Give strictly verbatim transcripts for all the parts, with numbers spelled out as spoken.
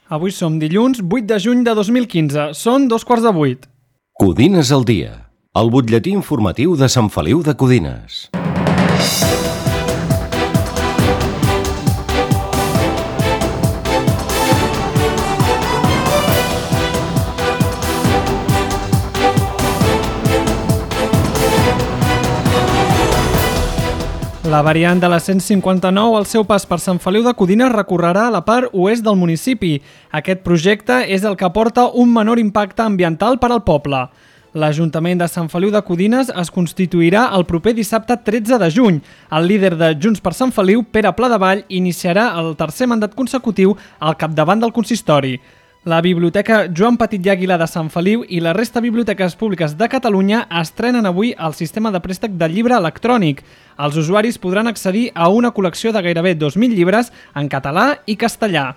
Avui som dilluns vuit de juny de dos mil quinze. Són dos quarts de vuit. Codines al dia, el butlletí informatiu de Sant Feliu de Codines. La variant de la cent cinquanta-nou al seu pas per Sant Feliu de Codines recorrerà a la part oest del municipi. Aquest projecte és el que aporta un menor impacte ambiental per al poble. L'Ajuntament de Sant Feliu de Codines es constituirà el proper dissabte tretze de juny. El líder de Junts per Sant Feliu, Pere Pladevall, iniciarà el tercer mandat consecutiu al capdavant del consistori. La Biblioteca Joan Petit i Àguila de Sant Feliu i la resta de biblioteques públiques de Catalunya estrenen avui el sistema de préstec de llibre electrònic. Els usuaris podran accedir a una col·lecció de gairebé dos mil llibres en català i castellà.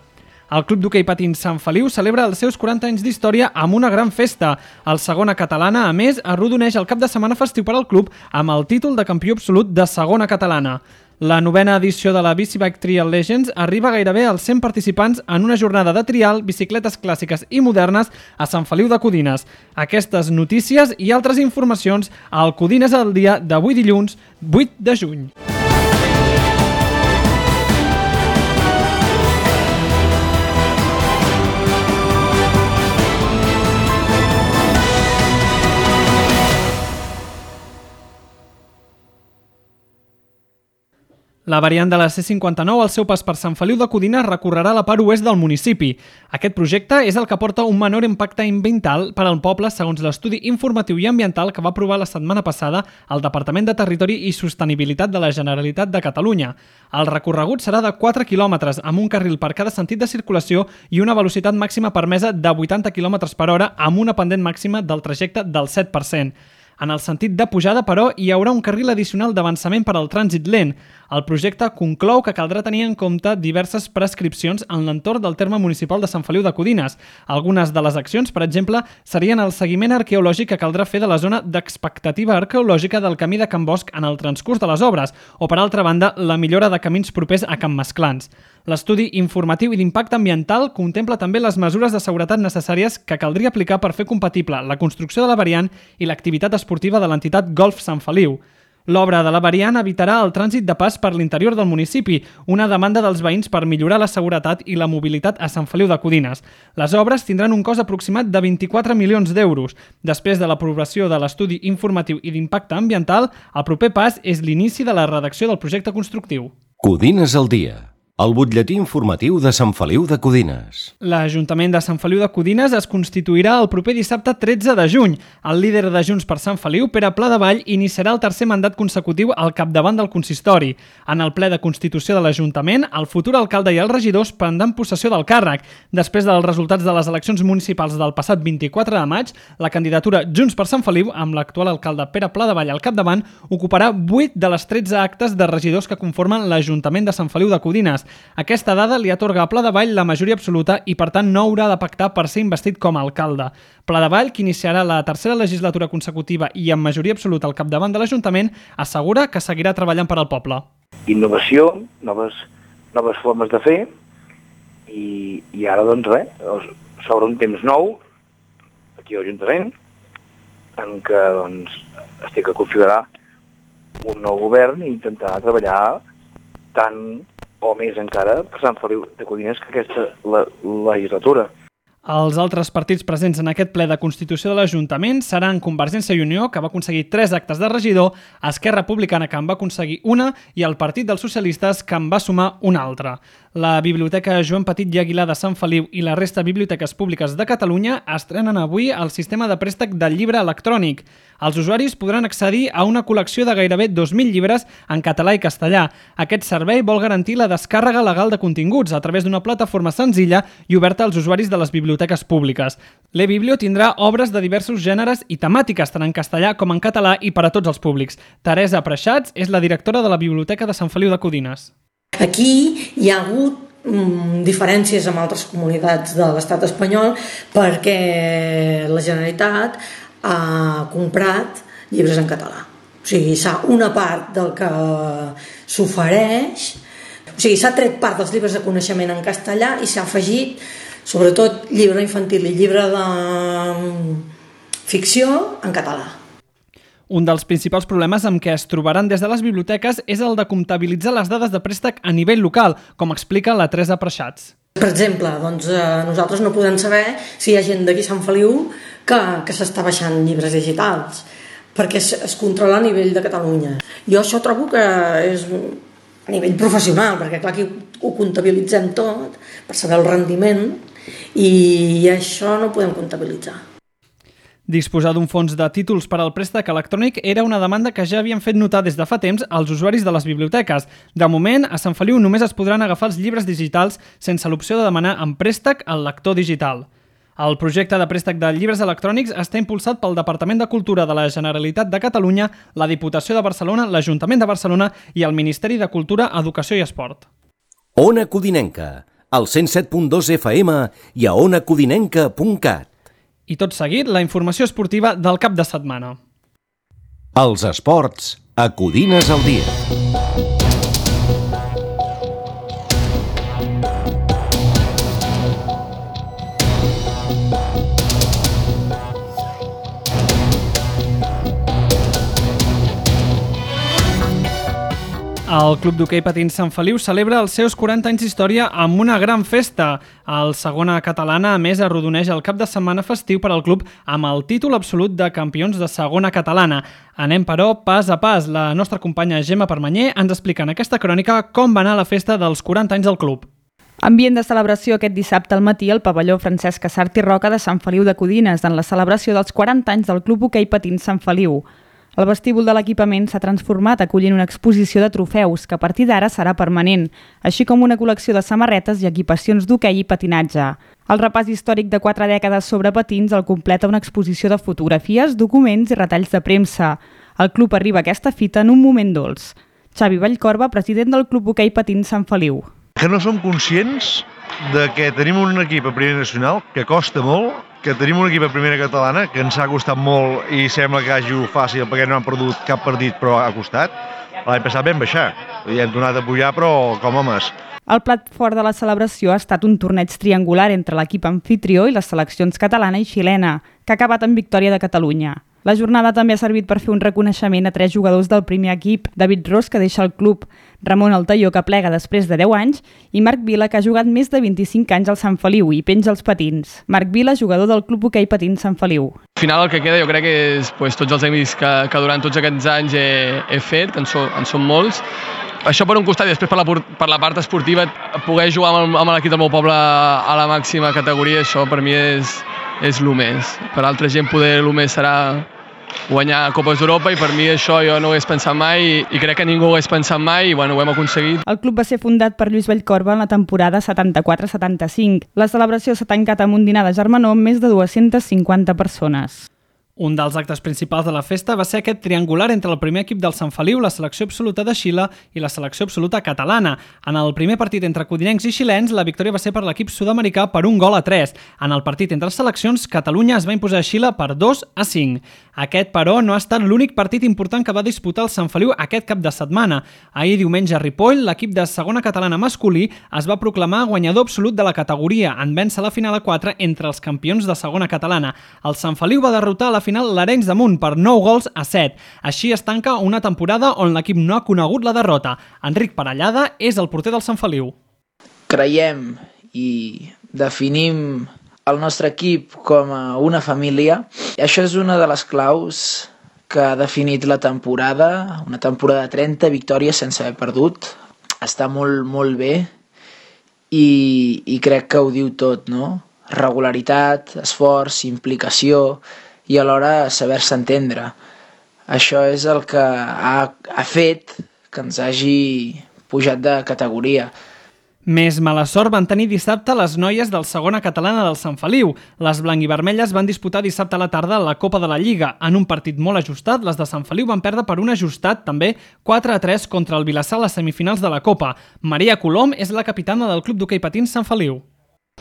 El Club d'Hoquei Patins Sant Feliu celebra els seus quaranta anys d'història amb una gran festa. El Segona Catalana, a més, arrodoneix el cap de setmana festiu per al club amb el títol de campió absolut de Segona Catalana. La novena edició de la Bicibike Trial Legends arriba gairebé als cent participants en una jornada de trial, bicicletes clàssiques i modernes a Sant Feliu de Codines. Aquestes notícies i altres informacions al Codines al dia d'avui dilluns vuit de juny. La variant de la C cinquanta-nou al seu pas per Sant Feliu de Codines recorrerà a la part oest del municipi. Aquest projecte és el que aporta un menor impacte ambiental per al poble segons l'estudi informatiu i ambiental que va aprovar la setmana passada el Departament de Territori i Sostenibilitat de la Generalitat de Catalunya. El recorregut serà de quatre quilòmetres amb un carril per cada sentit de circulació i una velocitat màxima permesa de vuitanta quilòmetres per hora amb una pendent màxima del trajecte del set per cent. En el sentit de pujada, però, hi haurà un carril addicional d'avançament per al trànsit lent. El projecte conclou que caldrà tenir en compte diverses prescripcions en l'entorn del terme municipal de Sant Feliu de Codines. Algunes de les accions, per exemple, serien el seguiment arqueològic que caldrà fer de la zona d'expectativa arqueològica del camí de Can Bosch en el transcurs de les obres, o, per altra banda, la millora de camins propers a Can Masclans. L'estudi informatiu i d'impacte ambiental contempla també les mesures de seguretat necessàries que caldria aplicar per fer compatible la construcció de la variant i l'activitat esportiva de l'entitat Golf Sant Feliu. L'obra de la variant evitarà el trànsit de pas per l'interior del municipi, una demanda dels veïns per millorar la seguretat i la mobilitat a Sant Feliu de Codines. Les obres tindran un cost aproximat de vint-i-quatre milions d'euros. Després de l'aprovació de l'estudi informatiu i d'impacte ambiental, el proper pas és l'inici de la redacció del projecte constructiu. Codines al dia, el butlletí informatiu de Sant Feliu de Codines. L'Ajuntament de Sant Feliu de Codines es constituirà el proper dissabte tretze de juny. El líder de Junts per Sant Feliu, Pere Pladevall, iniciarà el tercer mandat consecutiu al capdavant del consistori. En el ple de constitució de l'Ajuntament, el futur alcalde i els regidors prendran possessió del càrrec. Després dels resultats de les eleccions municipals del passat vint-i-quatre de maig, la candidatura Junts per Sant Feliu, amb l'actual alcalde Pere Pladevall al capdavant, ocuparà vuit de les tretze actes de regidors que conformen l'Ajuntament de Sant Feliu de Codines. Aquesta dada li atorga a Pladevall la majoria absoluta i, per tant, no haurà de pactar per ser investit com a alcalde. Pladevall, que iniciarà la tercera legislatura consecutiva i amb majoria absoluta al capdavant de l'Ajuntament, assegura que seguirà treballant per al poble. Innovació, noves, noves formes de fer i, i ara, doncs, res, s'obre un temps nou aquí a l'Ajuntament en què, doncs, estic a configurar un nou govern i intentar treballar tant o més encara per Sant Feliu de Codines que aquesta la, legislatura. Els altres partits presents en aquest ple de constitució de l'Ajuntament seran Convergència i Unió, que va aconseguir tres actes de regidor, Esquerra Republicana, que en va aconseguir una, i el Partit dels Socialistes, que en va sumar una altra. La Biblioteca Joan Petit i Àguila de Sant Feliu i la resta de biblioteques públiques de Catalunya estrenen avui el sistema de préstec del llibre electrònic. Els usuaris podran accedir a una col·lecció de gairebé dos mil llibres en català i castellà. Aquest servei vol garantir la descàrrega legal de continguts a través d'una plataforma senzilla i oberta als usuaris de les biblioteques públiques. L'e-Biblio tindrà obres de diversos gèneres i temàtiques, tant en castellà com en català i per a tots els públics. Teresa Preixats és la directora de la Biblioteca de Sant Feliu de Codines. Aquí hi ha hagut mm, diferències amb altres comunitats de l'estat espanyol perquè la Generalitat ha comprat llibres en català. O sigui, s'ha una part del que s'ofereix, o sigui, s'ha tret part dels llibres de coneixement en castellà i s'ha afegit sobretot llibre infantil i llibre de ficció en català. Un dels principals problemes amb què es trobaran des de les biblioteques és el de comptabilitzar les dades de préstec a nivell local, com explica la Teresa Preixats. Per exemple, doncs, eh, nosaltres no podem saber si hi ha gent d'aquí a Sant Feliu que, que s'està baixant llibres digitals, perquè es, es controla a nivell de Catalunya. Jo això trobo que és a nivell professional, perquè clar, aquí ho comptabilitzem tot per saber el rendiment i això no ho podem comptabilitzar. Disposar d'un fons de títols per al préstec electrònic era una demanda que ja havien fet notar des de fa temps als usuaris de les biblioteques. De moment, a Sant Feliu només es podran agafar els llibres digitals sense l'opció de demanar en préstec el lector digital. El projecte de préstec de llibres electrònics està impulsat pel Departament de Cultura de la Generalitat de Catalunya, la Diputació de Barcelona, l'Ajuntament de Barcelona i el Ministeri de Cultura, Educació i Esport. Ona Codinenca, al cent set punt dos F M i a ona codinenca punt cat. I tot seguit, la informació esportiva del cap de setmana. Els esports a Codines al dia. El Club d'Hoquei Patins Sant Feliu celebra els seus quaranta anys d'història amb una gran festa. El Segona Catalana, a més, arrodoneix el cap de setmana festiu per al club amb el títol absolut de campions de Segona Catalana. Anem, però, pas a pas. La nostra companya Gemma Permanyer ens explica en aquesta crònica com va anar la festa dels quaranta anys del club. Ambient de celebració aquest dissabte al matí al pavelló Francesc Casart i Roca de Sant Feliu de Codines en la celebració dels quaranta anys del Club Hoquei Patins Sant Feliu. El vestíbul de l'equipament s'ha transformat acollint una exposició de trofeus que a partir d'ara serà permanent, així com una col·lecció de samarretes i equipacions d'hoquei i patinatge. El repàs històric de quatre dècades sobre patins el completa una exposició de fotografies, documents i retalls de premsa. El club arriba a aquesta fita en un moment dolç. Xavi Vallcorba, president del Club Hoquei Patins Sant Feliu. Que no som conscients de que tenim un equip a primera nacional que costa molt, que tenim un equip a primera catalana que ens ha costat molt i sembla que hagi fàcil perquè no han perdut cap partit però ha costat. L'any passat vam baixar i hem tornat a pujar però com homes. El plat fort de la celebració ha estat un torneig triangular entre l'equip anfitrió i les seleccions catalana i xilena, que ha acabat en victòria de Catalunya. La jornada també ha servit per fer un reconeixement a tres jugadors del primer equip, David Ros, que deixa el club, Ramon Altaió, que plega després de deu anys, i Marc Vila, que ha jugat més de vint-i-cinc anys al Sant Feliu i penja els patins. Marc Vila, jugador del Club Hoquei Patins Sant Feliu. Al final el que queda jo crec que és pues, tots els amics que, que durant tots aquests anys he, he fet, que en, so, en són molts. Això per un costat i després per la, per la part esportiva, poder jugar amb, amb l'equip del meu poble a la màxima categoria, això per mi és, és el més. Per altra gent poder el més serà guanyar Copes d'Europa i per mi això jo no ho hagués pensat mai i, i crec que ningú ho hagués pensat mai i bueno, ho hem aconseguit. El club va ser fundat per Lluís Vallcorba en la temporada setanta-quatre setanta-cinc. La celebració s'ha tancat amb un dinar de germanor amb més de dues-centes cinquanta persones. Un dels actes principals de la festa va ser aquest triangular entre el primer equip del Sant Feliu, la selecció absoluta de Xile i la selecció absoluta catalana. En el primer partit entre codinencs i xilens, la victòria va ser per l'equip sud-americà per un gol a tres. En el partit entre seleccions, Catalunya es va imposar a Xile per dos a cinc. Aquest, però, no ha estat l'únic partit important que va disputar el Sant Feliu aquest cap de setmana. Ahir diumenge a Ripoll, l'equip de segona catalana masculí es va proclamar guanyador absolut de la categoria en vèncer la final a quatre entre els campions de segona catalana. El Sant Feliu va derrotar a la final l'Arenys de Munt per nou gols a set. Així es tanca una temporada on l'equip no ha conegut la derrota. Enric Parellada és el porter del Sant Feliu. Creiem i definim el nostre equip com a una família. Això és una de les claus que ha definit la temporada, una temporada de trenta victòries sense haver perdut. Està molt, molt bé i, i crec que ho diu tot, no? Regularitat, esforç, implicació i alhora saber-se entendre. Això és el que ha, ha fet que ens hagi pujat de categoria. Més mala sort van tenir dissabte les noies del segona catalana del Sant Feliu. Les blanc-i-vermelles van disputar dissabte a la tarda la Copa de la Lliga. En un partit molt ajustat, les de Sant Feliu van perdre per un ajustat, també quatre a tres contra el Vilassar a les semifinals de la Copa. Maria Colom és la capitana del Club d'Hoquei Patins Sant Feliu.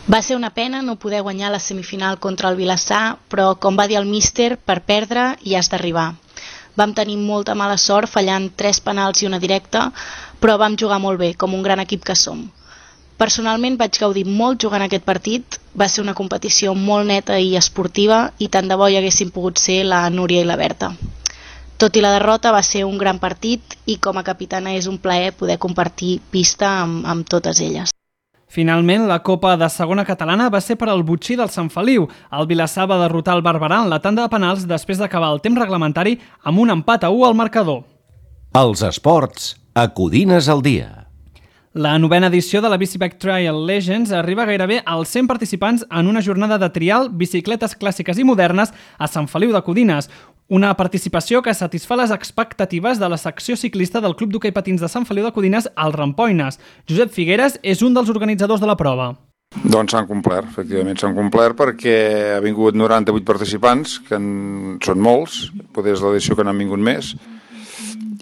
Va ser una pena no poder guanyar la semifinal contra el Vilassar, però, com va dir el míster, per perdre hi has d'arribar. Vam tenir molta mala sort fallant tres penals i una directa, però vam jugar molt bé, com un gran equip que som. Personalment vaig gaudir molt jugant aquest partit, va ser una competició molt neta i esportiva i tant de bo hi haguessin pogut ser la Núria i la Berta. Tot i la derrota va ser un gran partit i com a capitana és un plaer poder compartir pista amb, amb totes elles. Finalment, la Copa de Segona Catalana va ser per al Botxí del Sant Feliu. El Vilassar va derrotar el Barberà en la tanda de penals després d'acabar el temps reglamentari amb un empat a u al marcador. Els esports a Codines al dia. La novena edició de la Bicibike Trial Legends arriba gairebé als cent participants en una jornada de trial bicicletes clàssiques i modernes a Sant Feliu de Codines. Una participació que satisfà les expectatives de la secció ciclista del Club d'Hoquei Patins de Sant Feliu de Codines, el Rampoines. Josep Figueres és un dels organitzadors de la prova. Doncs s'han complert, efectivament s'han complert perquè ha vingut noranta-vuit participants, que en són molts, potser és l'edició que n'han vingut més,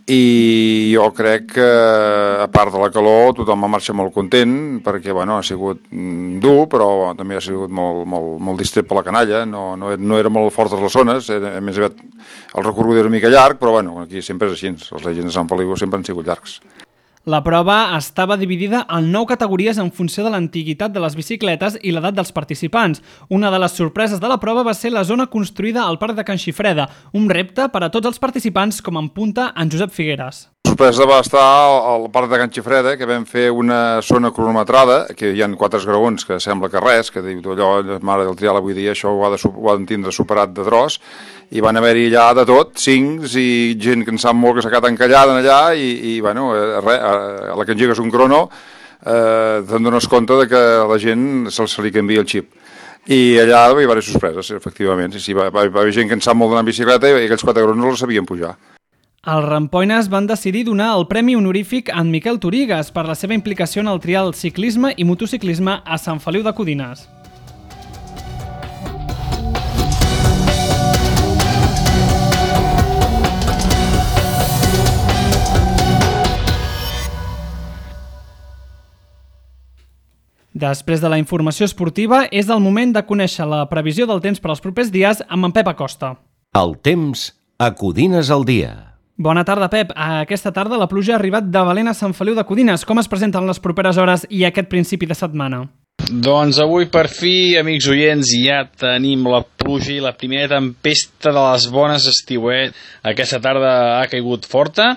i jo crec que, a part de la calor, tothom va marxar molt content, perquè bueno, ha sigut dur, però també ha sigut molt, molt, molt distret per la canalla, no, no, no era molt fortes les zones, era, a més aviat el recorregut era una mica llarg, però bueno, aquí sempre és així, els Legends de Sant Feliu sempre han sigut llargs. La prova estava dividida en nou categories en funció de l'antiguitat de les bicicletes i l'edat dels participants. Una de les sorpreses de la prova va ser la zona construïda al Parc de Can Xifreda, un repte per a tots els participants, com en punta en Josep Figueres. La sorpresa va estar al Parc de Can Xifreda, que vam fer una zona cronometrada, que hi ha quatre graons, que sembla que res, que diu allò, mare del trial avui dia, això ho ha de, ho ha de tindre superat de tros, i van haver-hi allà de tot, cincs i gent que en sap molt que s'ha quedat encallada allà i, i bueno, res, a la que engegues un crono eh, te'n dones compte de que a la gent se, se li canvia el xip. I allà hi va haver sorpreses, efectivament. Sí, sí, va, va, va haver gent que en sap molt d'anar en bicicleta i aquells quatre cronos no els sabien pujar. Els Rampoines van decidir donar el premi honorífic a en Miquel Torigues per la seva implicació en el trial ciclisme i motociclisme a Sant Feliu de Codines. Després de la informació esportiva, és el moment de conèixer la previsió del temps per als propers dies amb en Pep Acosta. El temps a Codines al dia. Bona tarda, Pep. Aquesta tarda la pluja ha arribat de valent a Sant Feliu de Codines. Com es presenten les properes hores i aquest principi de setmana? Doncs avui, per fi, amics oients, ja tenim la pluja i la primera tempesta de les bones estiuet. Aquesta tarda ha caigut forta.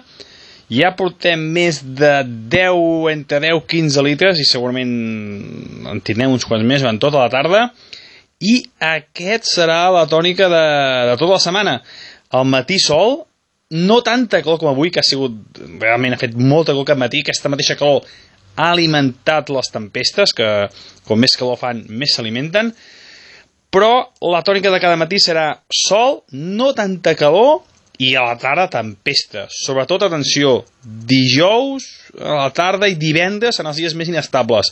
Ja portem més de deu, entre deu i quinze litres i segurament en tindrem uns quants més durant tota la tarda. I aquest serà la tònica de, de tota la setmana. Al matí sol, no tanta calor com avui, que ha sigut, realment ha fet molta calor aquest matí. Aquesta mateixa calor ha alimentat les tempestes, que com més calor fan, més s'alimenten. Però la tònica de cada matí serà sol, no tanta calor, i a la tarda tempesta. Sobretot, atenció, dijous a la tarda i divendres en els dies més inestables.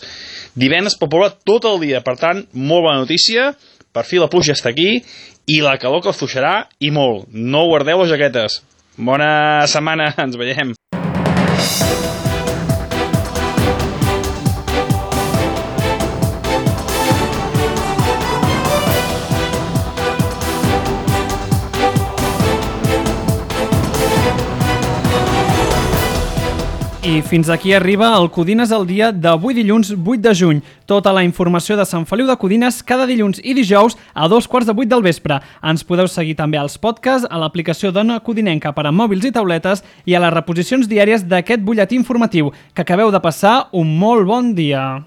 Divendres pot ploure tot el dia, per tant, molt bona notícia. Per fi la pluja està aquí i la calor que fluixarà i molt. No guardeu les jaquetes. Bona setmana, ens veiem. I fins aquí arriba el Codines al dia d'avui dilluns vuit de juny. Tota la informació de Sant Feliu de Codines cada dilluns i dijous a dos quarts de vuit del vespre. Ens podeu seguir també als podcasts, a l'aplicació d'Ona Codinenca per a mòbils i tauletes i a les reposicions diàries d'aquest butlletí informatiu. Que acabeu de passar un molt bon dia.